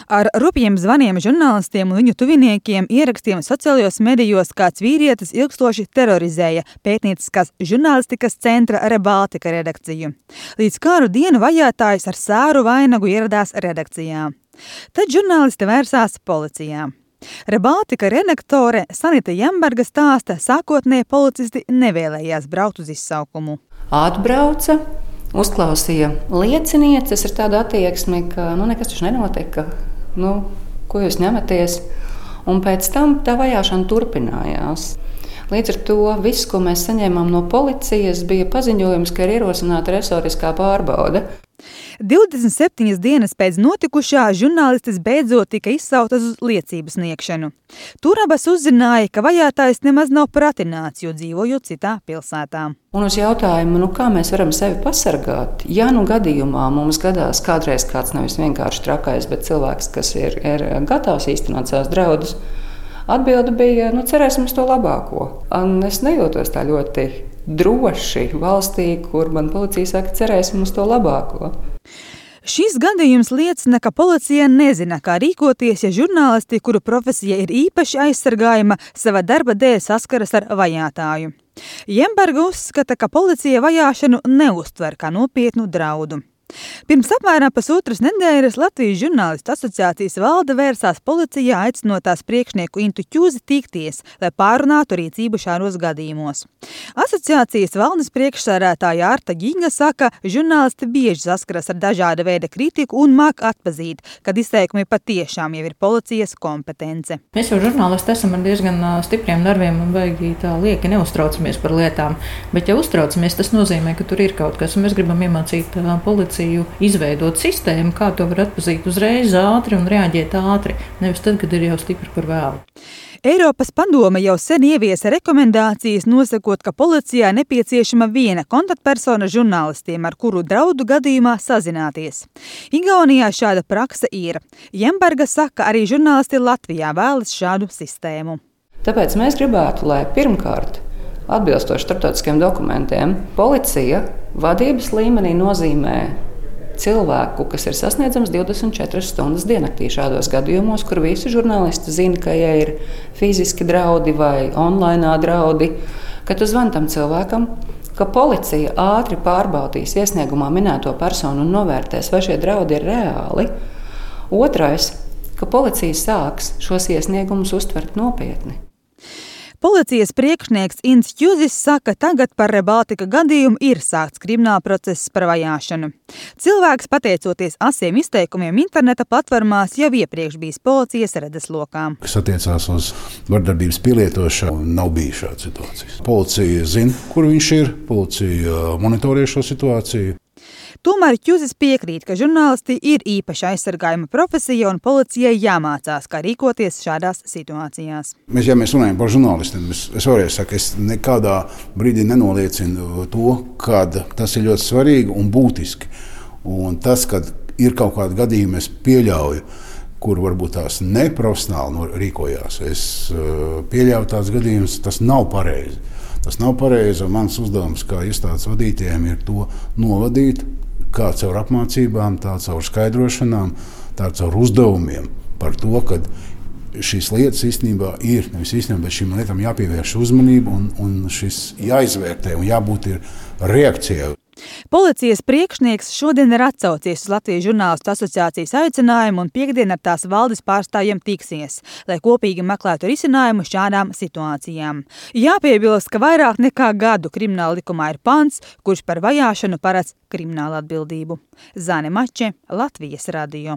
Ar rupjiem zvaniem žurnālistiem un viņu tuviniekiem ierakstiem sociālajos medijos kāds vīrietis ilgstoši terorizēja pētnieciskās žurnālistikas centra Rebaltika redakciju. Līdz kāru dienu vajātājs ar sēru vainagu ieradās redakcijā. Tad žurnālisti vērsās policijā. Rebaltika redaktore Sanita Jamberga stāsta, sākotnēji policisti nevēlējās braukt uz izsaukumu. Atbrauca, uzklausīja liecinieces ar tādu attieksmi, ka nekas taču nenotika, ko jūs ņematies. Un pēc tam tā vajāšana turpinājās. Līdz ar to viss, ko mēs saņēmām no policijas, bija paziņojums, ka ir ierosināta resoriskā pārbaude. 27 dienas pēc notikušā žurnālistes beidzot tika izsautas uz liecību sniegšanu. Tur abas uzzināja, ka vajātājs nemaz nav pratināts, jo dzīvojot citā pilsētā. Un uz jautājumu, kā mēs varam sevi pasargāt, ja gadījumā mums gadās kādreiz kāds nevis vienkārši trakais, bet cilvēks, kas ir gatavs īstenot savus draudus, atbilde bija, cerēsim uz to labāko. Un es nejūtos tā ļoti droši valstī, kur man policija saka, cerēsim uz to labāko. Šis gadījums liecina, ka policija nezina, kā rīkoties, ja žurnālisti, kuru profesija ir īpaši aizsargājama, sava darba dēļ saskaras ar vajātāju. Jamberga uzskata, ka policija vajāšanu neuztver kā nopietnu draudu. Pirms apmēram pusotras nedēļas Latvijas žurnālistu asociācijas valde vērsās policijā, aicinot tās priekšnieku Intu Ķūzi tikties, lai pārunātu rīcību šādos gadījumos. Asociācijas valdes priekšsēdētāja Arta Ginga saka, žurnālisti bieži saskaras ar dažāda veida kritiku un māk atpazīt, kad izteikumi patiešām jau ir policijas kompetence. Mēs jau žurnālisti esam ar diezgan stipriem nerviem un baigi tā lieki neuztraucamies par lietām, bet ja uztraucamies, tas nozīmē, ka tur ir kaut kas, un mēs gribam iemācīt policiju izveidot sistēmu, kā to var atpazīt uzreiz ātri un reaģēt ātri, nevis tad, kad ir jau stipri par vēlu. Eiropas padome jau sen ieviesa rekomendācijas, nosakot, ka policijā nepieciešama viena kontaktpersona žurnālistiem, ar kuru draudu gadījumā sazināties. Igaunijā šāda prakse ir. Jamberga saka, arī žurnālisti Latvijā vēlas šādu sistēmu. Tāpēc mēs gribētu, lai pirmkārt, atbilstoši starptautiskiem dokumentiem, policija vadības līmenī nozīmē cilvēku, kas ir sasniedzams 24 stundas diennaktī šādos gadījumos, kur visi žurnālisti zina, ka ja ir fiziski draudi vai online draudi, ka tu zvani tam cilvēkam, ka policija ātri pārbaudīs iesniegumā minēto personu un novērtēs, vai šie draudi ir reāli. Otrais, ka policija sāks šos iesniegumus uztvert nopietni. Policijas priekšnieks Ints Ķūzis saka, tagad par Rebaltika gadījumu ir sākts krimināla process par vajāšanu. Cilvēks, pateicoties asiem izteikumiem interneta platformās, jau iepriekš bijis policijas redzeslokā. Kas attiecās uz vardarbības pielietošanu, nav bijis šāda situācija. Policija zina, kur viņš ir, policija monitorē šo situāciju. Tomēr Ķūzis piekrīt, ka žurnālisti ir īpaši aizsargājama profesija un policijai jāmācās, kā rīkoties šādās situācijās. Ja mēs runājam par žurnālistiem, es vēlreiz saku, es nekādā brīdī nenoliecinu to, ka tas ir ļoti svarīgi un būtiski. Un tas, kad ir kaut kādi gadījumi, es pieļauju, kur varbūt tās neprofesionāli rīkojās. Es pieļauju tās gadījumus, tas nav pareizi. Tas nav pareizi, un mans uzdevums kā iestādes vadītājiem ir to novadīt, kā caur apmācībām, tā caur skaidrošanām, tā caur uzdevumiem par to, ka šīs lietas īstenībā ir, nevis īstenībā, bet šīm lietām jāpievērš uzmanību un šis jāizvērtē un jābūt ir reakcijai. Policijas priekšnieks šodien ir atsaucies uz Latvijas žurnālistu asociācijas aicinājumu un piektdien ar tās valdes pārstāvjiem tiksies, lai kopīgi meklētu risinājumu šādām situācijām. Jāpiebilst, ka vairāk nekā gadu krimināla likumā ir pants, kurš par vajāšanu paredz kriminālu atbildību. Zane Mače, Latvijas radio.